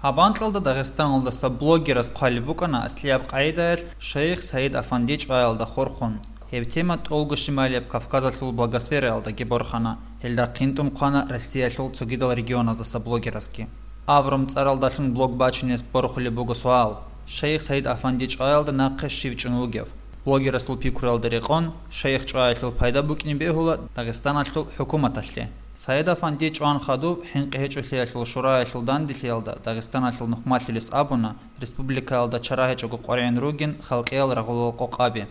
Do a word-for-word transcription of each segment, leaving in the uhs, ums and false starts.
Гьаб анкьалда Дагъистаналдаса блогерас хъвалеб букӀана аслияб къагӀидаялъ шайх Саид Афанди чӀваялда хурхун. Гьеб тема тӀолго щималияб Кавказалъул благосфераялдаги борхана, гьелда хъинтӀун хъвана Россиялъул цогидал регионаздаса блогерасги. Аврум цӀаралдалъун блог бачунес борхулеб буго суал: шайх Саид Афанди чӀваялда нахъе щив чӀун вугев? Блогерасул пикруялда рекъон, шайх чӀваялъул пайда букӀине бегьула Дагъистаналъул хӀукуматалъе. Саид Афанди чӀван хадуб ХӀинкъи гьечӀолъиялъул шураялъул данделъиялда Дагъистаналъул нухмалъулес абуна, республикаялда чара гьечӀого къваригӀун ругин халкъиял рагъулал къокъаби.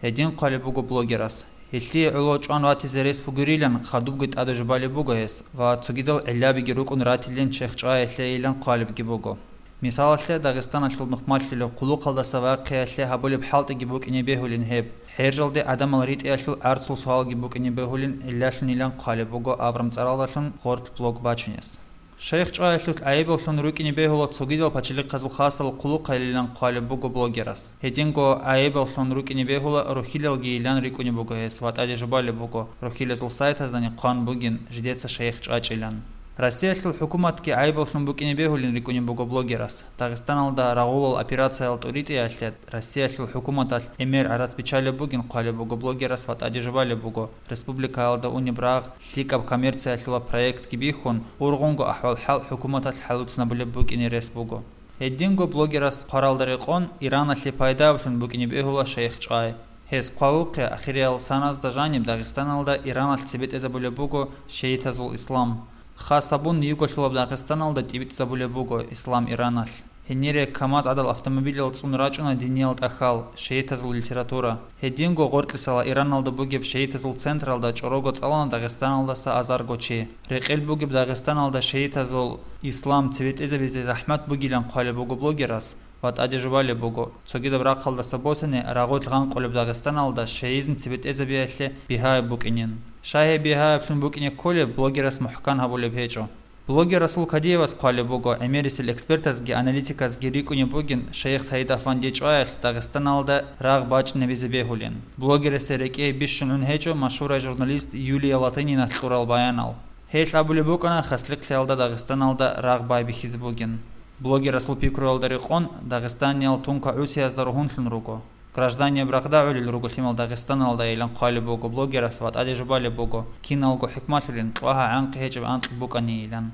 Гьедин хъвалеб буго блогерас: гьелъие гӀоло чӀван ватизе рес бугерилан хадубги тӀаде жубалеб буго гьес ва цогидал гӀиллабиги рукӀун ратилин шайх чӀваялъейилан хъвалебги буго. Мисалалъе, Дагъистаналъул нухмалъулев хъулухъалдаса вахъиялъе гьабулеб хӀалтӀиги букӀине бегьулин гьеб, хӀержалде гӀадамал ритӀиялъул гӀарцул суалги букӀине бегьулин гӀиллалъунилан хъвалеб буго Аврум цӀаралдалъун гъоркь блог бачунес. Шайх чӀваялъулъ гӀайибаллъун рукӀине бегьула цогидал пачалихъазул хасал хъулухъайилан хъвалеб буго блогерас. Гьединго гӀайибаллъун рукӀине бегьула рухьилалгийилан рикӀкӀунеб буго гьес ва тӀаде жубалеб буго, рухьилазул сайтаздани хъван бугин жидеца шайх чӀвачӀилан. Россиялъул хӀукуматги гӀайибаллъун букӀине бегьулин рикӀкӀунеб буго блогерас. Дагъистаналда рагъулал операциял тӀуритӀиялъе Россиялъул хӀукуматалъ гӀемер гӀарац биччалеб бугин хъвалеб буго блогерас ва тӀаде жубалеб буго, республикаялда унеб рагъ лъикӀаб коммерциялъула проектги бихьун, ургъунго ахӀвал-хӀал хӀукуматалъ хӀалуцӀнабулеб букӀине рес буго. Гьединго блогерас хъваралда рекъон, Ираналъе пайдаблъун букӀине бегьула шайх чӀвай. Гьес хъвавухъе, ахириял саназда жаниб Дагъистаналда Ираналъ цебе тӀезабулеб буго шиитазул ислам. Хас гьабун, юголъулаб Дагъистаналда тӀибитӀизабулеб буго ислам Ираналъ. Гьенире КамАЗ гӀадал автомобилал цӀун рачӀуна диниял тӀахьал, шиитазул литература. Гьединго гъоркьисала Ираналда бугеб шиитазул централда чӀорого цӀалана Дагъистаналдаса азарго чи. Рекъел бугеб Дагъистаналда шиитазул ислам цебе тӀезабизе захӀмат бугилан хъвалеб буго блогерас ва тӀаде жубалеб буго, цогидаб рахъалдаса босани рагъулъ гъанкъулеб Дагъистаналда шиизм цебе тӀезабиялъе бигьаяб букӀинин. Щай гьеб бигьаяблъун букӀине кколеб, блогерас мухӀкан гьабулеб гьечӀо. Блогер Расул Кадиевас хъвалеб буго, гӀемерисел экспертазги аналитиказги рикӀкӀунеб бугин шайх Саид Афанди чӀваялъ Дагъистаналда рагъ бачӀинабизе бегьулин. Блогерасе рекӀее бищун гӀун гьечӀо машгьурай журналист Юлия Латынина кьурал баянал. Гьелъ абулеб букӀана хаслихълъиялда Дагъистаналда рагъ байбихьизе бугин. Блогер Расул пикруялда рекъон, дагъистаниял тункагӀусиязда ругьунлъун руго. Гражданияб рагъда гӀолел руго лъимал Дагъистаналдайилан хъвалеб буго блогерас ва тӀаде жубалеб буго, киналго хӀикмалъулин кьвагьа гӀанкъи гьечӀеб анкь букӀанийилан.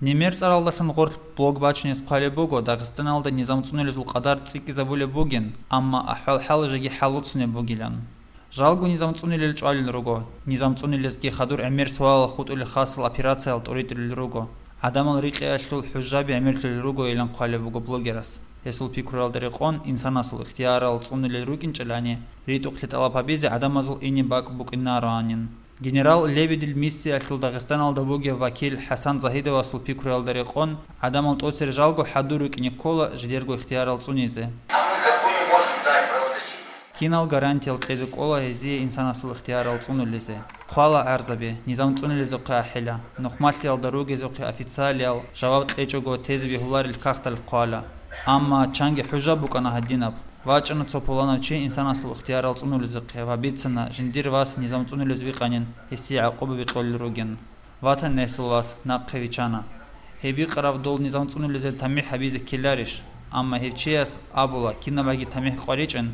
Немер цӀаралдалъун гъорлъ блог бачунес хъвалеб буго, Дагъистаналда низам цӀунулезул къадар цӀикӀкӀизабулеб бугин, амма ахӀвал-хӀал жеги хӀалуцунеб бугилан. Жалго низам цӀунилел чӀвалел руго, низам цӀунилезги хадур гӀемер суалал хутӀулел хасал операциял тӀуритӀулел руго, гӀадамал рикьиялъул хӀужжаби гӀемерлъулел ругойилан хъвалеб буго блогерас. Гьесул пикруялда рекъон, инсанасул ихтиярал цӀунулел рукӀинчӀелани, ритӀухълъи тӀалаб гьабизе гӀадамазул ине бакӀ букӀинароанин. Генерал Лебедил миссиялъул Дагъистаналда бугев вакил ХӀасан Загьидовасул пикруялда рекъон, гӀадамал тӀоцер жалго хӀадур рукӀине ккола жидерго ихтиярал цӀунизе. Кинал гарантиял кьезе кӀола гьезие инсанасул ихтиярал цӀунулезе? Хъвала гӀарзаби, низам цӀунилезухъе ахӀила, нухмалъиялда ругезухъе официалиял жаваб кьечӀого тезе бегьуларел кагътал хъвала. Амма чанги хӀужа букӀана гьадинаб: вачӀана цо пуланав чи инсанасул ихтиярал цӀунулезухъе ва бицана, жиндир вас низам цӀунулез викъанин, гьесие гӀакъубаби кьолел ругин. Ватан несул вас нахъе вичана. Гьеб бикъараб дол низам цӀунулезе тамихӀ гьабизе ккеларищ? Амма гьев чияс абула, кинабаги тамихӀ къваричӀин,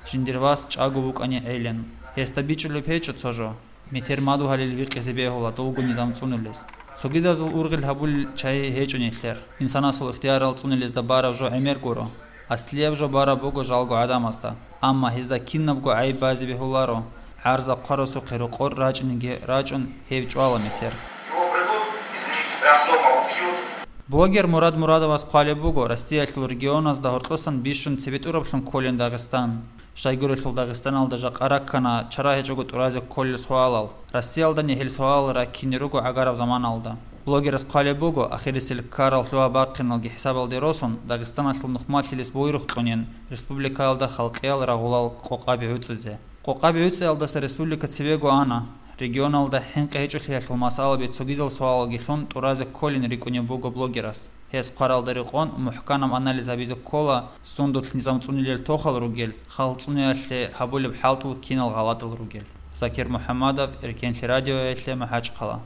жиндир вас чӀаго вукӀани гӀелин. Гьесда бичӀчӀулеб гьечӀо цо жо. Метер мадугьалил викъизе бегьула долго низам цӀунулез. Цогидазул ургъел гьабулел чагьи гьечӀо нилъер. Инсанасул ихтиярал цӀунулезда бараб жо гӀемер гуро. Аслияб жо бараб буго жалго гӀадамазда, амма гьезда кинабго гӀайиб базе бегьуларо, гӀарза хъварасухъе рокъор рачӀинеги рачӀун, гьев чӀвала метер. Его придут, извините, прям дома убьют. Блогер Мурад Мурадовас хъвалеб буго, Россиялъул регионазда гьоркьосан бищун цебетӀураблъун кколин Дагъистан. Щайгурелъул Дагъистаналда жакъа раккана чара гьечӀого тӀуразе кколел суалал. Россиялдани гьел суалал раккине руго гӀагараб заманалда. Блогерас хъвалеб буго, ахирисел ккарал лъугьа-бахъиналги хӀисабалде росун, Дагъистаналъул нухмалъилес буйрухъ кьунин республикаялда халкъиял рагъулал къокъаби гӀуцӀизе. Къокъаби гӀуцӀиялдаса республика цебего ана. Регионалда ХӀинкъи гьечӀолъиялъул масъалаби цогидал суалалги лъун тӀуразе кколин рикӀкӀунеб буго блогерас. Гьес хъваралда рекъон мухӀканаб анализ гьабизе ккола, сундулъ низам цӀунилел тохал ругел, халкъ цӀуниялъе гьабулеб хӀалтӀул кинал гъалатӀал ругел. Закир МухӀаммадов, Эркенлъи радиоялъе, МахӀачхъала.